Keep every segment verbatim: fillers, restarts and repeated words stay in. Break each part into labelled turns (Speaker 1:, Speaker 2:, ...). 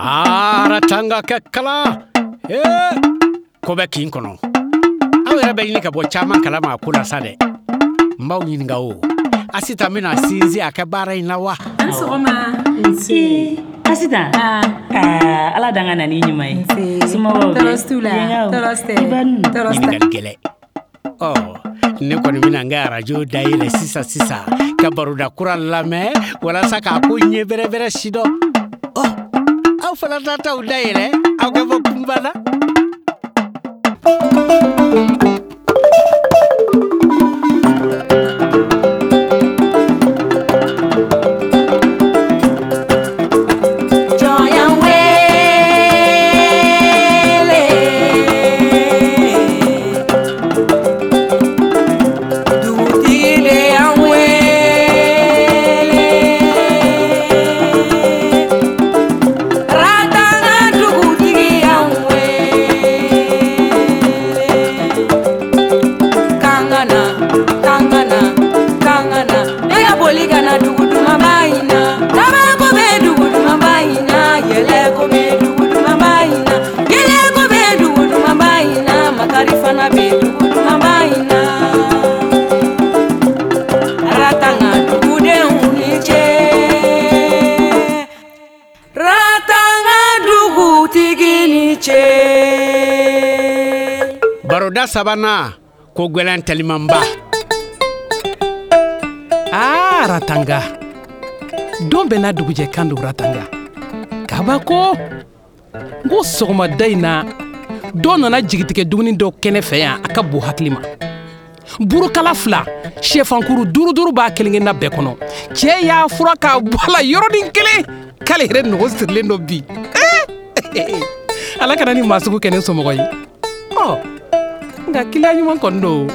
Speaker 1: Aa, Ratanga kɛ kalan. Ee, ko bɛ kin kɔnɔ. Aw yɛrɛ bɛ ɲini ka bɔ caman kalama a ko la sa dɛ. N b'aw ɲininka o. Asitan bɛna sinsin a kɛ baara in na wa?
Speaker 2: An sɔgɔma.
Speaker 3: Nse. Asitan. Aa, Ala dan ka na n'i ɲuman ye.
Speaker 2: Nse.
Speaker 3: Somɔgɔw bɛ?
Speaker 2: Tɔɔrɔ t'u la. Tɔɔrɔ tɛ.
Speaker 3: I ba ninnu.
Speaker 2: Tɔɔrɔ tɛ.
Speaker 1: Ɲininkali gɛlɛn. Ɔ, ne kɔni bɛna n ka arajo dayɛlɛ sisan sisan ka baroda kura lamɛn walasa k'a ko ɲɛ bɛrɛbɛrɛ sidɔn. Ɔ, aw fana ta t'aw dayɛlɛ aw ka bɔ kunba la. Baroda sabanan ko gɛlɛn telimanba.
Speaker 4: Aa, Ratanga. Don bɛɛ n'a dugujɛ kan don Ratanga. Kabako. N ko sɔgɔmada in na, dɔ nana jigitigɛ dumuni dɔ kɛnɛ fɛ yan a ka bon hakili ma. Burukala fila, sɛfankuru duuru duuru b'a kelen kelenna bɛɛ kɔnɔ. Cɛ y'a fura k'a bɔ a la yɔrɔnin kelen k'ale yɛrɛ nɔgɔ sirilen don bi. Ala kana ni maa sugu kɛ ne somɔgɔ ye. Ɔ, nka kiliyan ɲuman kɔni don.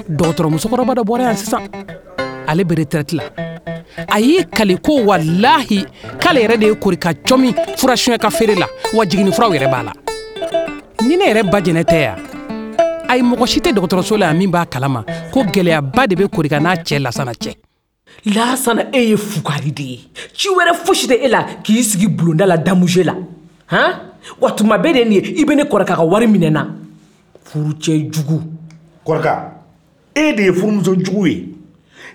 Speaker 4: Dɔgɔtɔrɔ musokɔrɔba dɔ bɔra yan sisan. Ale bɛ retraite la. A y'i kali ko walahi k'ale yɛrɛ de ye korika cɔmi furasuɲɛ ka feere la, wa jiginni furaw yɛrɛ b'a la. Ni ne yɛrɛ ba jɛnɛ tɛ yan, ayi mɔgɔ si tɛ dɔgɔtɔrɔso la yan min b'a kalama ko gɛlɛyaba de bɛ korika n'a cɛ Lasana cɛ.
Speaker 5: Lasana, e ye fugari de ye. Ci wɛrɛ fosi tɛ e la k'i sigi bulonda la damuje la. Han? Wa tuma bɛɛ de nin ye, i bɛ ne kɔrɔkɛ ka wari minɛ na. Furucɛ jugu.
Speaker 6: Kɔrɔkɛ, e de ye furumuso jugu ye.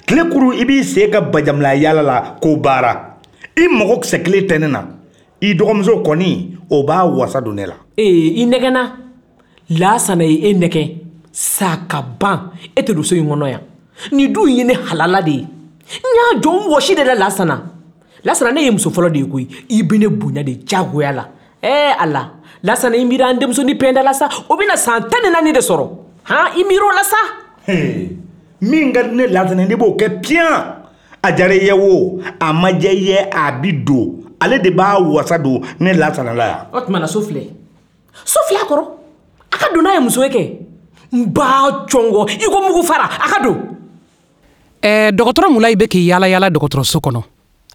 Speaker 6: Tile kuru i b'i sen ka bajamila yaala la k'o baara. I mago kisɛ kelen tɛ ne na. I dɔgɔmuso kɔni, o b'a wasa don ne la.
Speaker 5: Ee, i nɛgɛnna. Lasana ye e nɛgɛn. Sa ka ban. E tɛ don so in kɔnɔ yan. Nin du in ye ne halala de ye. N y'a jɔ n wɔsi de la Lasana. Lasana, ne ye muso fɔlɔ de ye koyi. I bɛ ne bonya de diyagoya la. Ɛɛ Ala, Lasana, i miiri an denmusonin pɛnda la sa. O bɛna san tan ni naani de sɔrɔ. Han, i miiri o la sa.
Speaker 6: Min ka di ne Lasana, ne b'o kɛ piyan. A diyara i ye o, a ma diya i ye, a bi don. Ale de b'a wasa don ne Lasana la yan.
Speaker 5: O tuma na so filɛ. So filɛ a kɔrɔ. A ka don n'a ye muso ye kɛ. N b'a cɔngɔ i ko mugu fara, a ka don.
Speaker 4: Ɛɛ, dɔgɔtɔrɔ Mulayi bɛ k'i yaala yaala dɔgɔtɔrɔso kɔnɔ.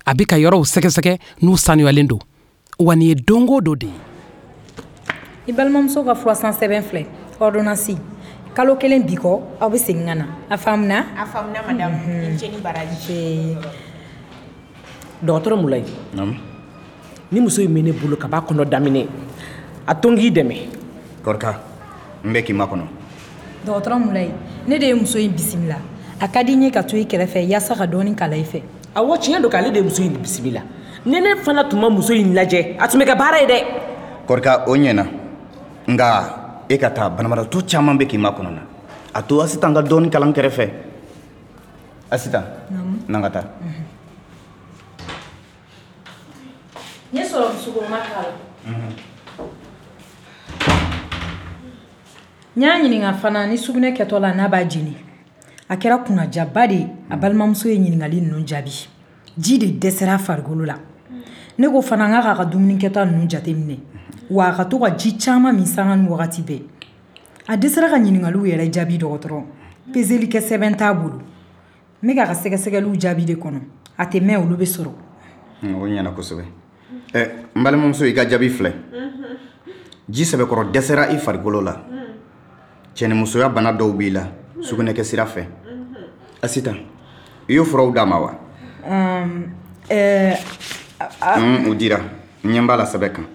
Speaker 4: A bɛ ka yɔrɔw sɛgɛsɛgɛ n'u sanuyalen don. Wa nin ye don o don de ye.
Speaker 2: I balimamuso ka furasan sɛbɛn filɛ, ordonnance. Kalo kelen bi kɔ, aw bɛ segin ka na. A faamuna?
Speaker 7: A faamuna madame. I ni ce ni baraji.
Speaker 5: Dɔgɔtɔrɔ Mulayi.
Speaker 6: Naamu.
Speaker 5: Ni muso in bɛ ne bolo ka b'a kɔnɔ daminɛ, a to n k'i dɛmɛ.
Speaker 6: Kɔrɔka, n bɛ k'i makɔnɔ.
Speaker 2: Dɔgɔtɔrɔ Mulayi, ne de ye muso in bisimila. A ka di n ye ka to i kɛrɛfɛ yaasa ka dɔɔni kala i fɛ.
Speaker 5: Awɔ, tiɲɛ don k'ale de ye muso in bisimila. Ni ne fana tun ma muso in lajɛ, a tun bɛ kɛ baara ye dɛ.
Speaker 6: Kɔrɔka, o ɲɛna. Nka e ka taa, banabagatɔ caman bɛ k'i makɔnɔ na. A to Asitan ka dɔɔni kalan kɛrɛfɛ. Asitan, n'an ka taa.
Speaker 2: N ye sɔrɔ sukoroma k'a la. N y'a ɲininka fana ni sugunɛ kɛtɔ la n'a b'a jeni. A kɛra kunnajaba de ye. A balimamuso ye ɲininkali ninnu jaabi. Ji de dɛsɛra a farikolo la. Ne ko fana n k'a ka dumuni kɛta ninnu jateminɛ. Wa a ka to ka ji caman min sanga ni wagati bɛɛ. A dɛsɛra ka ɲininkaliw yɛrɛ jaabi dɔgɔtɔrɔ. Peseli kɛ sɛbɛn t'a bolo. N bɛ k'a ka sɛgɛsɛgɛliw jaabi de kɔnɔ. A tɛ mɛn, olu bɛ sɔrɔ.
Speaker 6: O ɲɛna kosɛbɛ. Ɛ, n balimamuso, i ka jaabi filɛ. Ji sɛbɛkɔrɔ dɛsɛra i farikolo la. Cɛnimusoya bana dɔw b'i la sugunɛkɛ sira fɛ. Asitan,
Speaker 8: I y'o furaw d'a ma wa?
Speaker 2: Ɛɛ
Speaker 8: O dira, n ɲɛ b'a la sɛbɛn kan.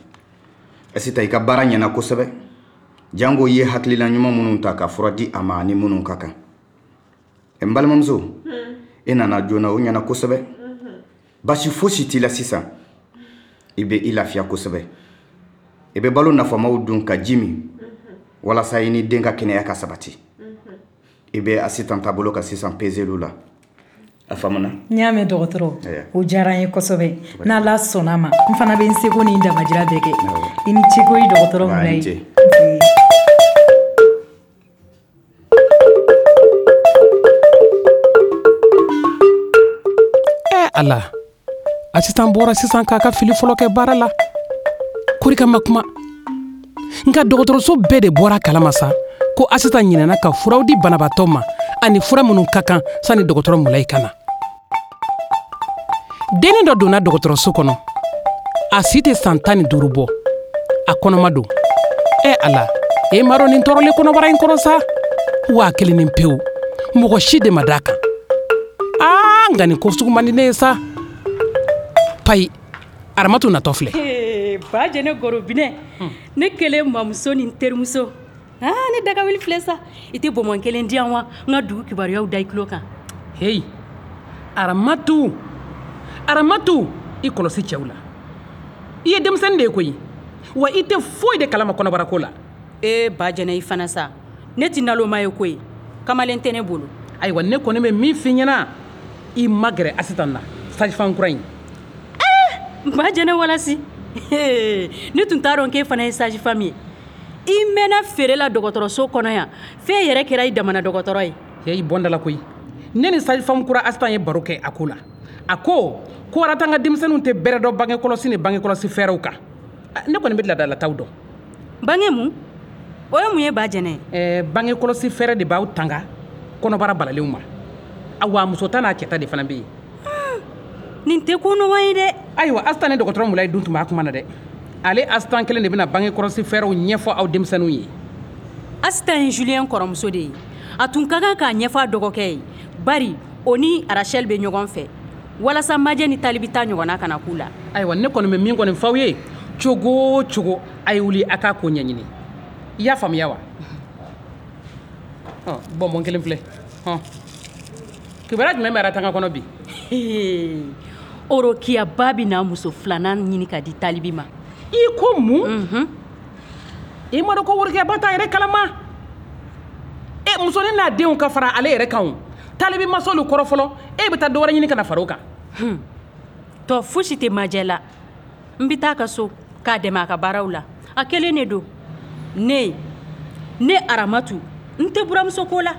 Speaker 8: Asitan, i ka baara ɲɛna kosɛbɛ. Jango i ye hakilina ɲuman minnu ta ka fura di a ma ani minnu ka kan. N balimamuso, e nana joona, o ɲɛna kosɛbɛ. Basi fosi t'i la sisan. I bɛ i lafiya kosɛbɛ. I bɛ balo nafamaw dun ka ji min walasa i ni den ka kɛnɛya ka sabati. I bɛ Asitan taabolo kan sisan peseliw la. A faamuna?
Speaker 2: N y'a mɛn dɔgɔtɔrɔ, o diyara n ye kosɛbɛ. N'Ala sɔnna a ma, n fana bɛ n seko ni n damajira bɛɛ kɛ. I ni ce koyi dɔgɔtɔrɔ Mulayi.
Speaker 4: Ɛ Ala, Asitan bɔra sisan k'a ka fili fɔlɔ kɛ baara la. Korika ma kuma. Nka dɔgɔtɔrɔso bɛɛ de bɔra kalama sa ko Asitan ɲinɛna ka furaw di banabaatɔ ma ani fura minnu ka kan sani dɔgɔtɔrɔ Mulayi ka na. Dennin dɔ donna dɔgɔtɔrɔso kɔnɔ. A si tɛ san tan ni duuru bɔ. A kɔnɔma don. Ɛ Ala, e m'a dɔn nin tɔɔrɔlen kɔnɔbara in kɔrɔ sa. Waa kelen ni pewu. Mɔgɔ si de ma d'a kan. Aa, nka nin ko sugu man di ne ye sa. Payi, Aramatu natɔ filɛ.
Speaker 3: Ba jɛnɛ gorobinɛ, ne kelen mamuso ni n terimuso. Aa, ne dagawuli filɛ sa. I tɛ bɔnbɔn kelen di yan wa? N ka dugu kibaruyaw da i tulo kan.
Speaker 4: Heyi, Aramatu, Aramatu, i kɔlɔsi cɛw la. I ye denmisɛnnin de ye koyi. Wa i tɛ foyi de kalama kɔnɔbara ko la.
Speaker 3: Ee ba jɛnɛ, i fana sa. Ne tɛ naloma ye koyi. Kamalen tɛ ne bolo.
Speaker 4: Ayiwa, ne kɔni bɛ min f'i ɲɛna, i magɛrɛ Asitan na, sage-femme kura in.
Speaker 3: Ɛɛ, ba jɛnɛ walasi. Ne tun t'a dɔn k'e fana ye sage-femme ye. I mɛnna feere la dɔgɔtɔrɔso kɔnɔ yan, f'e yɛrɛ kɛra i damana dɔgɔtɔrɔ ye.
Speaker 4: Heyi, bɔn da la koyi. Ne ni sage-femme kura Asitan ye baro kɛ a ko la. A ko ko Aratan ka denmisɛnninw tɛ bɛrɛ dɔn bange kɔlɔsi ni bange kɔlɔsi fɛɛrɛw kan. Ne kɔni bɛ laadalataw dɔn.
Speaker 3: Bange mun? O ye mun ye ba jɛnɛ?
Speaker 4: Ɛɛ, bange kɔlɔsi fɛɛrɛ de b'aw tanga kɔnɔbara balalenw ma. Awa, muso ta n'a cɛ ta de fana bɛ yen.
Speaker 3: Nin tɛ ko nɔgɔn ye dɛ.
Speaker 4: Ayiwa, Asitan ni dɔgɔtɔrɔ Mulayi dun tun b'a kuma na dɛ. Ale Asitan kelen de bɛna bange kɔlɔsi fɛɛrɛw ɲɛfɔ aw denmisɛnninw ye.
Speaker 3: Asitan ye Julien kɔrɔmuso de ye. A tun ka kan k'a ɲɛfɔ a dɔgɔkɛ ye. Bari o ni Rachel bɛ ɲɔgɔn fɛ. Walasa Majɛ ni Talibi ta ɲɔgɔnna kana k'u la.
Speaker 4: Ayiwa, ne kɔni bɛ min kɔni f'aw ye, cogo o cogo a ye wuli a k'a ko ɲɛɲini. I y'a faamuya wa? Ɔ, bɔnbɔn kelen filɛ. Hɔn. Kibaruya jumɛn bɛ Aratanga kɔnɔ bi?
Speaker 3: Orokiyaba bɛ na muso filanan ɲini ka di Talibi ma.
Speaker 4: I ko mun? I m'a dɔn ko Worokiyaba t'a yɛrɛ kalama. E musonin n'a denw ka fara ale yɛrɛ kan o. Talibi ma s'olu kɔrɔ fɔlɔ, e bɛ taa dɔ wɛrɛ ɲini ka na fara o kan.
Speaker 3: Tɔ fosi tɛ Majɛ la. N bɛ taa a ka so k'a dɛmɛ a ka baaraw la. A kelen de don. Ne, ne Aramatu, n tɛ buramuso ko la.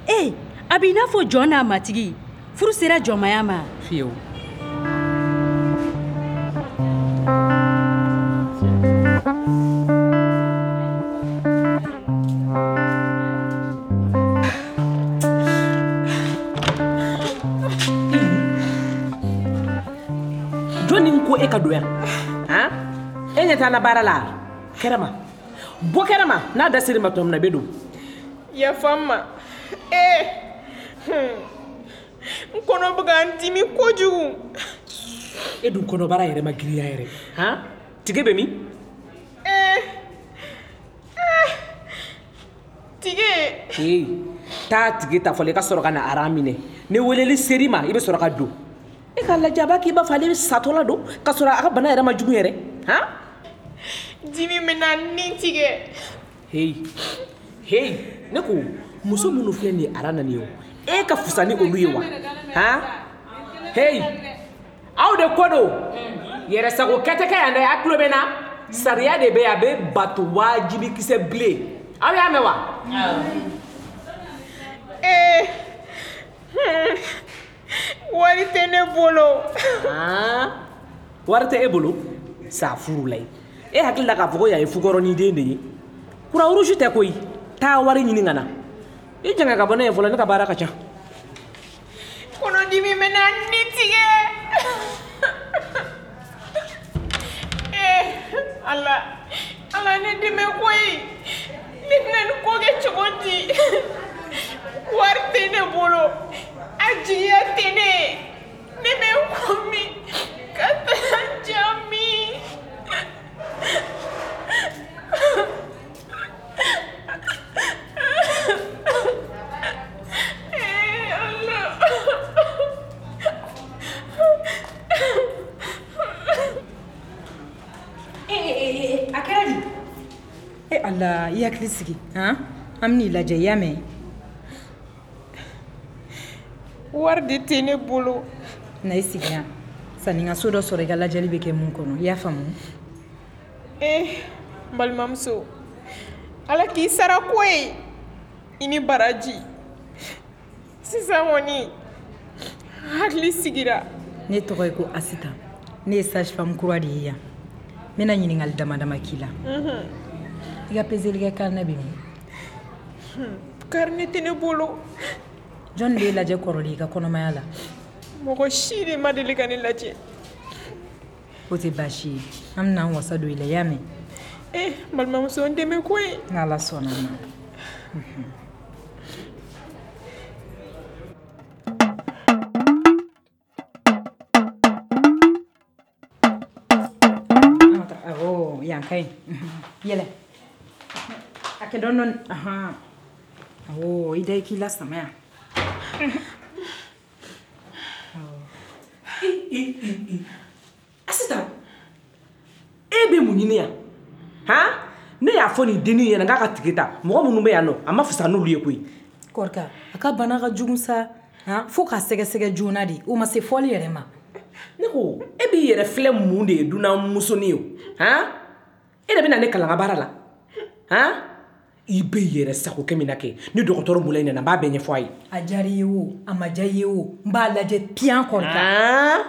Speaker 3: E, a b'i n'a fɔ jɔn n'a matigi. Furu sera jɔnmaya ma.
Speaker 4: Fiyewu.
Speaker 5: Jɔnni ko e ka don yan? Han? E ɲɛ t'an na baara la? Kɛnɛma. Bɔ kɛnɛma, n'a da ser'i ma tuma min na i bɛ don.
Speaker 7: Yafa n ma. Ee, n kɔnɔ bɛ ka n dimi kojugu.
Speaker 5: E dun kɔnɔbara yɛrɛ ma girinya yɛrɛ. Han? Tige bɛ min?
Speaker 7: Ee, tige.
Speaker 5: Ee, taa tige ta fɔlɔ i ka sɔrɔ ka na aran minɛ. Ni weleli ser'i ma, i bɛ sɔrɔ ka don. E k'a lajɛ, a b'a k'i b'a fɔ ale bɛ satɔla don k'a sɔrɔ a ka bana yɛrɛ ma jugu yɛrɛ. Han?
Speaker 7: Dimi bɛna n ni tigɛ.
Speaker 5: Heyi, heyi, ne ko muso minnu filɛ nin ye aran na nin ye o, e ka fisa ni olu ye wa? Han? Heyi, aw de ko don. Yɛrɛsago kɛ tɛ kɛ yan dɛ, a tulo bɛ n na. Sariya de bɛ yen, a bɛ bato wajibi kisɛ bilen. Aw y'a mɛn wa?
Speaker 7: Ee, wari tɛ ne bolo.
Speaker 5: Han? Wari tɛ e bolo? Sa furu la ye. E hakili la k'a fɔ ko yan ye fukɔrɔnin den de ye. Croix rouge tɛ koyi. Taa wari ɲini ka na. I jɛngɛ ka bɔ ne ye fɔlɔ, ne ka baara ka ca.
Speaker 7: Kɔnɔdimi bɛna n ni tigɛ. Ee, Ala, Ala ne dɛmɛ koyi. Ne bɛna nin ko kɛ cogo di? Wari tɛ ne bolo. A jigiya tɛ ne ye. Ne bɛ n ko min ka taa n ja min. Ee Ala.
Speaker 2: Ee a kɛra di? E Ala, i hakili sigi han, an bɛn'i lajɛ, i y'a mɛn?
Speaker 7: Wari de tɛ ne bolo.
Speaker 2: Na i sigi yan sanni n ka so dɔ sɔrɔ i ka lajɛli bɛ kɛ mun kɔnɔ, i y'a faamu?
Speaker 7: Eh, n balimamuso, Ala k'i sara ko ye, i ni baraji. Sisan kɔni, hakili sigira.
Speaker 2: Ne tɔgɔ ye ko Asita, ne ye sage femme kura de ye yan. N bɛna ɲininkali dama dama k'i la. I ka peseli kɛ carnet bɛ min?
Speaker 7: Carnet tɛ ne bolo.
Speaker 2: Jɔn de y'e lajɛ kɔrɔlen i ka kɔnɔmaya la?
Speaker 7: Mɔgɔ si de ma deli ka ne lajɛ.
Speaker 2: O tɛ baasi ye, an bɛna an wasa don i la, i y'a mɛn?
Speaker 7: Eh, n balimamuso, n dɛmɛ koyi.
Speaker 2: N'Ala sɔnna a ma. Awɔ, yan ka ɲi. Yɛlɛ. A kɛ dɔɔni dɔɔni. Ahan. Awɔ, i da i k'i lasama yan.
Speaker 5: Asita, e bɛ mun ɲini yan? Han? Ne y'a fɔ nin dennin ɲɛna k'a ka tike ta. Mɔgɔ minnu bɛ yan nɔ, a ma fisa n'olu ye koyi.
Speaker 2: Kɔrika, a ka bana ka jugu sa. Han, fo k'a sɛgɛsɛgɛ joona de. O ma se fɔli yɛrɛ ma.
Speaker 5: Ne ko, e b'i yɛrɛ filɛ mun de ye dunan musonin ye o? Han? E de bɛna ne kalan n ka baara la. Han? I bɛ yɛrɛ sago kɛ min na kɛ, ni dɔgɔtɔrɔ Mulayi nana, n b'a bɛɛ ɲɛfɔ a ye.
Speaker 2: A diyara i ye o, a ma diya i ye o, n b'a lajɛ piyan Kɔrika.
Speaker 5: Han?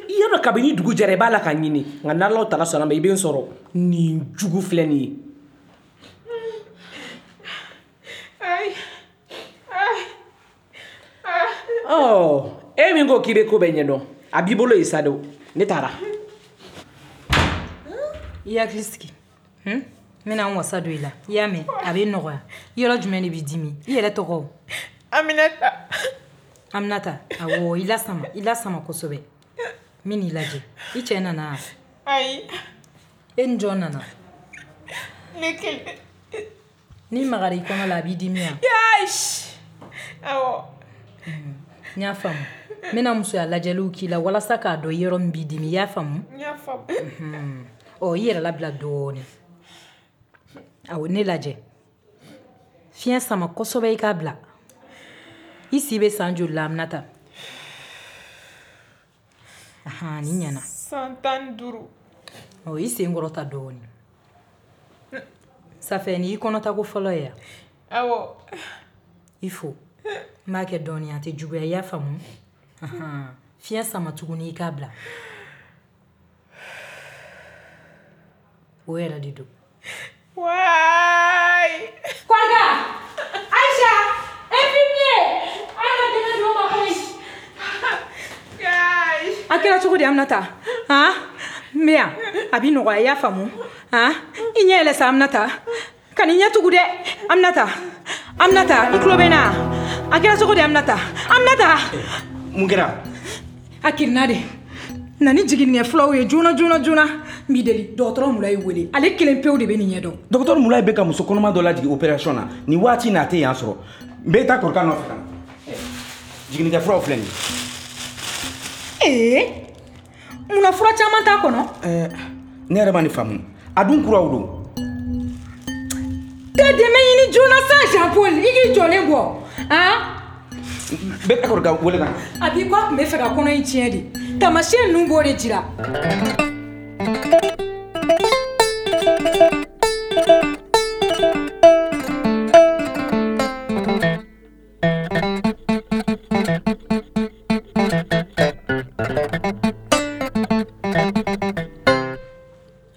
Speaker 5: I y'a dɔn kabini dugu jɛra i b'a la ka ɲini, nka n'Alahu taala sɔnna ma i bɛ n sɔrɔ. Nin jugu filɛ nin ye.
Speaker 7: Ayi. Ayi.
Speaker 5: Ɔ, e min ko k'i bɛ ko bɛɛ ɲɛdɔn, a b'i bolo yen sa dɛ. Ne taara.
Speaker 2: I hakili sigi. N bɛna n wasa don i la. I y'a mɛn? A bɛ nɔgɔya. Yɔrɔ jumɛn de b'i dimi? I yɛrɛ tɔgɔ?
Speaker 7: Aminata.
Speaker 2: Aminata, awɔ, i lasama, i lasama kosɛbɛ. N bɛ n'i lajɛ. I cɛ nana?
Speaker 7: Ayi.
Speaker 2: E ni jɔn nana?
Speaker 7: Ne kelen.
Speaker 2: N'i magara i kɔnɔ la, a b'i dimi wa?
Speaker 7: Yaasi. Awɔ.
Speaker 2: N y'a faamu. N bɛna musoya lajɛliw k'i la walasa k'a dɔn yɔrɔ min b'i dimi, i y'a faamu?
Speaker 7: N y'a faamu.
Speaker 2: Ɔ, i yɛrɛ labila dɔɔnin. Awɔ, ne lajɛ. Fiɲɛ sama kosɛbɛ i k'a bila. I si bɛ san joli la, Aminata? Ahan, nin ɲɛna.
Speaker 7: San tan ni duuru.
Speaker 2: Ɔ, i sen kɔrɔta dɔɔnin. Safɛ, nin y'i kɔnɔtako fɔlɔ ye wa?
Speaker 7: Awɔ.
Speaker 2: I fo. N b'a kɛ dɔɔnin, a tɛ juguya, i y'a faamu? Ahan, fiɲɛ sama tuguni i k'a bila. O yɛrɛ de don.
Speaker 7: Waay.
Speaker 2: Kɔrika! Aïcha! Infirmier! A y'a ka dɛmɛ don o ma koyi. A kɛra cogo di Aminata? Han? N bɛ yan. A b'i nɔgɔya, i y'a faamu? Han? I ɲɛ yɛlɛ sa Aminata. Ka n'i ɲɛ tugu dɛ. Aminata. Aminata, i tulo bɛ n na? A kɛra cogo di Aminata? Aminata!
Speaker 6: Mun kɛra?
Speaker 2: A kirinna de. Na ni jiginnikɛ fulaw ye joona joona joona. N b'i deli, dɔgɔtɔrɔ Mulayi wele. Ale kelen pewu de bɛ nin ɲɛdɔn.
Speaker 6: Dɔgɔtɔrɔ Mulayi bɛ ka muso kɔnɔma dɔ lajigin opération na. Nin waati in na a tɛ yan sɔrɔ. N bɛ taa Kɔrika nɔfɛ ka na. Jiginnikɛ furaw filɛ nin ye.
Speaker 2: Ee, munna fura caman t'a kɔnɔ?
Speaker 6: Ɛɛ, ne yɛrɛ ma nin faamu. A dun kuraw don.
Speaker 2: Tɛ dɛmɛ ɲini joona sa Jean Paul, i k'i jɔlen bɔ. Han?
Speaker 6: N bɛ taa Kɔrika wele ka na.
Speaker 2: A b'i ko a tun bɛ fɛ ka kɔnɔ in tiɲɛ de. Taamasiyɛn ninnu b'o de jira.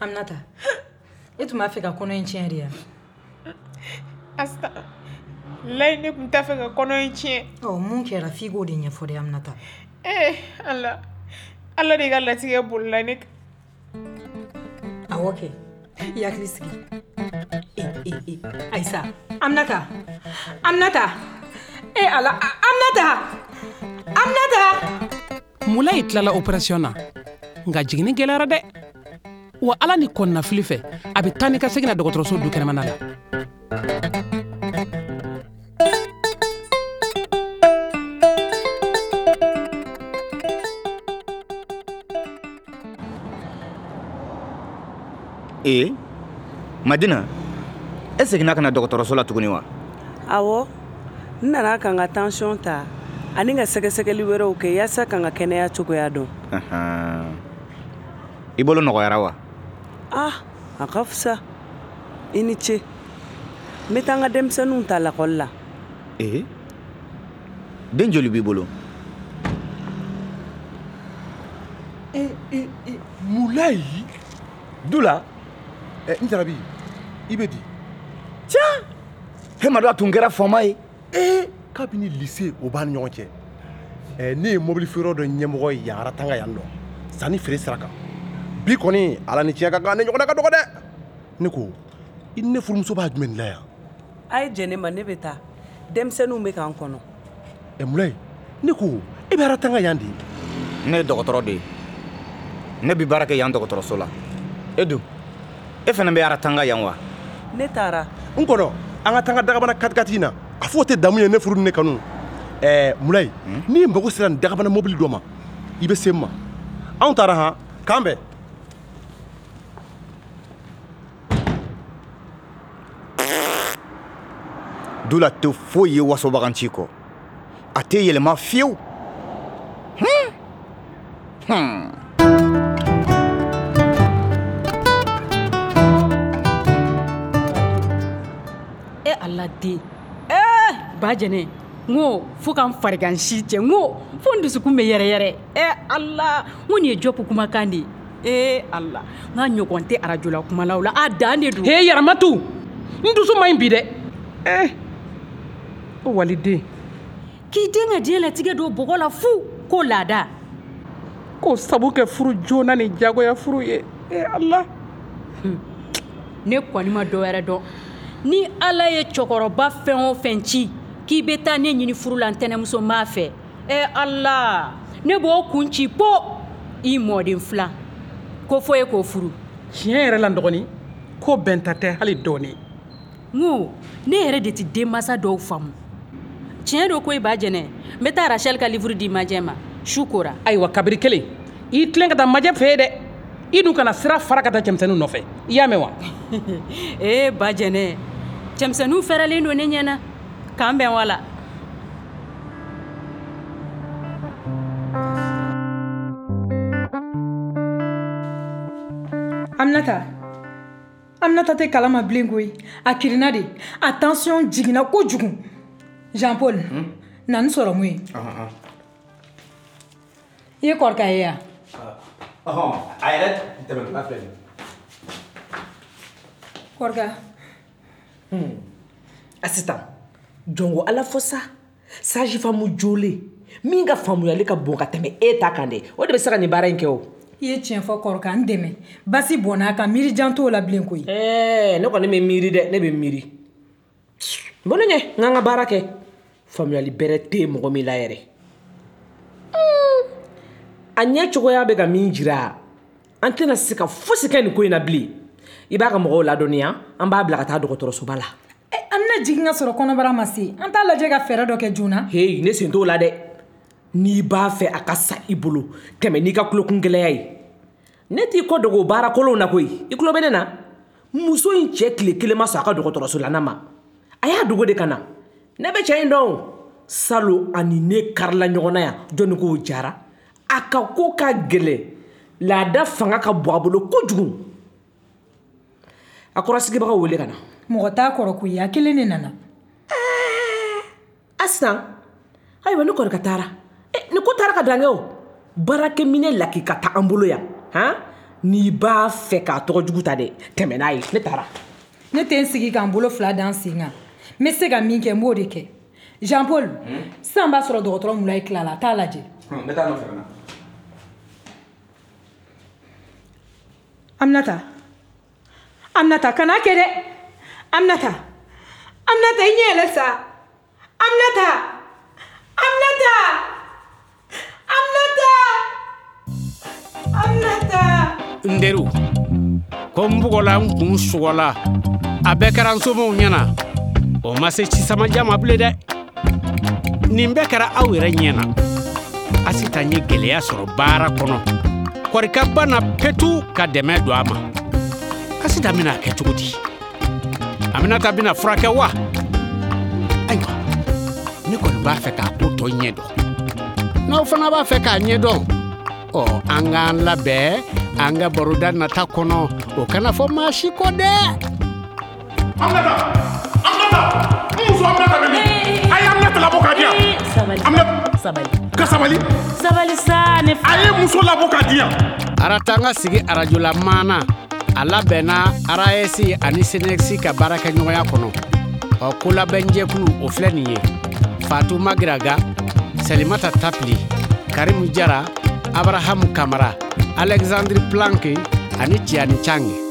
Speaker 2: Aminata, e tun b'a fɛ ka kɔnɔ in tiɲɛ de ya?
Speaker 7: Asita, layi ne tun t'a fɛ ka kɔnɔ in tiɲɛ.
Speaker 2: Ɔ, mun kɛra f'i k'o de ɲɛfɔ dɛ Aminata.
Speaker 7: Eh, Ala, Ala de ka latigɛ bolila ne kan.
Speaker 2: Awɔ kɛ, i hakili sigi. E, e, e, Ayisa, Aminata, Aminata, e Ala, Aminata, Aminata!
Speaker 4: Mulayi tilala opération na nka jiginni gɛlɛyara dɛ wa ala ni kɔnɔnafili fɛ a bɛ taa ni ka segin na dɔgɔtɔrɔso du kɛnɛmana la.
Speaker 8: Ee Madina, e seginna ka na dɔgɔtɔrɔso la tuguni wa?
Speaker 9: Awɔ, n nana ka n ka tension ta ani ka sɛgɛsɛgɛli wɛrɛw kɛ yaasa ka n ka kɛnɛya cogoya dɔn.
Speaker 8: I bolo nɔgɔyara wa?
Speaker 9: Ah, a ka fisa. I ni ce. N bɛ taa n ka denmisɛnninw ta lakɔli la.
Speaker 8: Ee, den joli b'i bolo?
Speaker 10: E e e Mulayi Dula. Eh, n jarabi i bɛ di?
Speaker 8: Tiɲɛ, he ma dɔn a tun kɛra faama ye.
Speaker 10: Ee, kabini lycée o b'an ni ɲɔgɔn cɛ. Eh, ne ye mobili feere dɔ ɲɛmɔgɔ ye yan Aratanga yan nɔ sanni feere sira kan. Bi kɔni ala ni tiɲɛ ka kan, ne ɲɔgɔnna ka dɔgɔ dɛ. Ne ko i ni ne furumuso b'a jumɛn de la yan?
Speaker 9: A ye jɛn ne ma, ne bɛ taa. Denmisɛnninw bɛ k'an kɔnɔ.
Speaker 10: Ɛ Mulayi, ne ko e bɛ Aratanga yan de?
Speaker 8: Ne ye dɔgɔtɔrɔ de ye. Ne bɛ baara kɛ yan dɔgɔtɔrɔso la. E dun? E fana bɛ Aratanga yan wa?
Speaker 9: Ne taara.
Speaker 10: N kɔrɔ, an ka taa n ka dagabana katikati in na. A fɔ o tɛ damu ye ne furu ni ne kanu. Ɛɛ Mulayi, n'i mago sera nin dagabana mobili dɔ ma, i bɛ se n ma. Anw taara han, k'an bɛn.
Speaker 8: Dula tɛ foyi ye wasobaganci kɔ. A tɛ yɛlɛma fiyewu. Hmm. Hmm.
Speaker 3: E ala den. Eh, ba jɛnɛ, n ko fo ka n farigan si cɛ, n ko fo n dusukun bɛ yɛrɛyɛrɛ. E ala, n ko nin ye Jɔpu kumakan de ye. E ala, n ka ɲɔgɔn tɛ arajola kumalaw la, a dan de don.
Speaker 4: He Yaramatu, n dusu man ɲi bi dɛ. Eh, o waliden.
Speaker 3: K'i den ka diɲɛlatigɛ don bɔgɔ la fu ko laada.
Speaker 4: K'o sabu kɛ furu joona ni jagoya furu ye. E ala.
Speaker 3: Ne kɔni ma dɔ wɛrɛ dɔn. Ni ala ye cɛkɔrɔba fɛn o fɛn ci k'i bɛ taa ne ɲini furu la ntɛnɛmuso m'a fɛ. E ala, ne b'o kun ci po i mɔden fila ko fo e k'o furu.
Speaker 4: Tiɲɛ yɛrɛ la n dɔgɔnin, ko bɛnta tɛ hali dɔɔnin.
Speaker 3: N ko ne yɛrɛ de tɛ denmansa dɔw faamu. Tiɲɛ don ko i ba jɛnɛ, n bɛ taa Rachel ka livre di majɛ ma su kora.
Speaker 4: Ayiwa kabiri kelen, i tilen ka taa majɛ fɛ yen dɛ. I dun kana sira fara ka taa cɛmisɛnninw nɔfɛ. I y'a mɛn wa?
Speaker 3: Ee ba jɛnɛ, cɛmisɛnninw fɛrɛlen don ne ɲɛna. K'an bɛn wala.
Speaker 2: Aminata, Aminata tɛ kalama bilen koyi. A kirinna de. A tension jiginna kojugu. Jean Paul, hmm? Na ni sɔrɔmu ye. I ye kɔrɔkɛ ye yan?
Speaker 8: Ɔhɔn, a yɛrɛ tɛmɛtɔla filɛ nin ye.
Speaker 2: Kɔrɔkɛ.
Speaker 5: Hmm. Asitan, jɔn ko ala fɔ sa. Sage-femme jolen min ka faamuyali ka bon ka tɛmɛ e ta kan dɛ, o de bɛ se ka nin baara in kɛ o.
Speaker 2: I ye tiɲɛ fɔ kɔrɔkɛ, n dɛmɛ. Basi bɔnna a kan, miiri jan t'o la bilen koyi.
Speaker 5: Ɛɛ, ne kɔni bɛ miiri dɛ, ne bɛ miiri. Bɔ ne ɲɛ, n k'an ka baara kɛ. Faamuyali bɛrɛ tɛ mɔgɔ min la yɛrɛ. A ɲɛ cogoya bɛ ka min jira, an tɛna se ka fosi kɛ nin ko in na bilen. I b'a ka mɔgɔw ladɔnniya, an b'a bila ka taa dɔgɔtɔrɔsoba la.
Speaker 2: An bɛna jigin ka sɔrɔ kɔnɔbara ma se. An t'a lajɛ ka fɛɛrɛ dɔ kɛ joona.
Speaker 5: Heyi, ne sen t'o la dɛ. N'i b'a fɛ a ka sa i bolo, tɛmɛ n'i ka tulokun gɛlɛya ye. Ne t'i kɔ dogo baara kolonw na koyi. I tulo bɛ ne na? Muso in cɛ tile kelen ma sɔn a ka dɔgɔtɔrɔso la ma. A y'a dogo de ka na. Ne bɛ cɛ in dɔn. Salon ani ne karila ɲɔgɔn na yan, jɔnni k'o jara. A ka ko ka gɛlɛn. Laada fanga ka bon a bolo kojugu. A kɔrɔsigibagaw wele ka na.
Speaker 2: Mɔgɔ t'a kɔrɔ koyi, a kelen de nana.
Speaker 5: Ɛɛ, Asitan, ayiwa ne kɔrɔkɛ taara. Ni ko taara ka dan kɛ o. Baarakɛminɛ lakika t'an bolo yan. Han? N'i b'a fɛ k'a tɔgɔ jugu ta dɛ, tɛmɛ n'a ye. Ne taara.
Speaker 2: Ne tɛ n sigi k'an bolo fila da n sen kan. N bɛ se ka min kɛ, n b'o de kɛ. Jean Paul, sisan b'a sɔrɔ dɔgɔtɔrɔ Mulayi tilala, a t'a lajɛ.
Speaker 8: N bɛ taa nɔfɛ ka na.
Speaker 2: Aminata, Aminata, kan'a kɛ dɛ. Aminata, Aminata, i ɲɛ yɛlɛ sa. Aminata, Aminata.
Speaker 1: N teriw, ko n bugɔla n kun sugɔla, a bɛɛ kɛra n somɔgɔw ɲɛna. O ma se cisamajan ma bilen dɛ. Nin bɛɛ kɛra aw yɛrɛ ɲɛ na. Asitan ye gɛlɛya sɔrɔ baara kɔnɔ. Kɔrika banna petu ka dɛmɛ don a ma. Asitan bɛna a kɛ cogo di? Aminata bɛna furakɛ wa? Ayiwa, ne kɔni b'a fɛ k'a ko tɔ ɲɛ dɔn. N'aw fana b'a fɛ k'a ɲɛ dɔn, ɔ an k'an labɛn an ka baroda nata kɔnɔ, o kana fɔ maa si kɔ dɛ.
Speaker 11: Aminata! Aminata! N muso Aminata bɛ min? A ye Aminata labɔ k'a di yan.
Speaker 3: Sabali.
Speaker 11: Aminata.
Speaker 3: Sabali.
Speaker 11: Ka sabali.
Speaker 3: Sabali sa ne fa.
Speaker 11: A ye muso labɔ k'a di yan.
Speaker 1: Aratanga sigi arajola maana a labɛnna A R A S ani SYNECS ka baarakɛɲɔgɔnya kɔnɔ. Ɔ kolabɛnjɛkulu o filɛ nin ye: Fatu Magiraga, Salimata Tapili, Karimu Jara, Abrahamu Kamara, Alexandre Planke ani Tiani Change.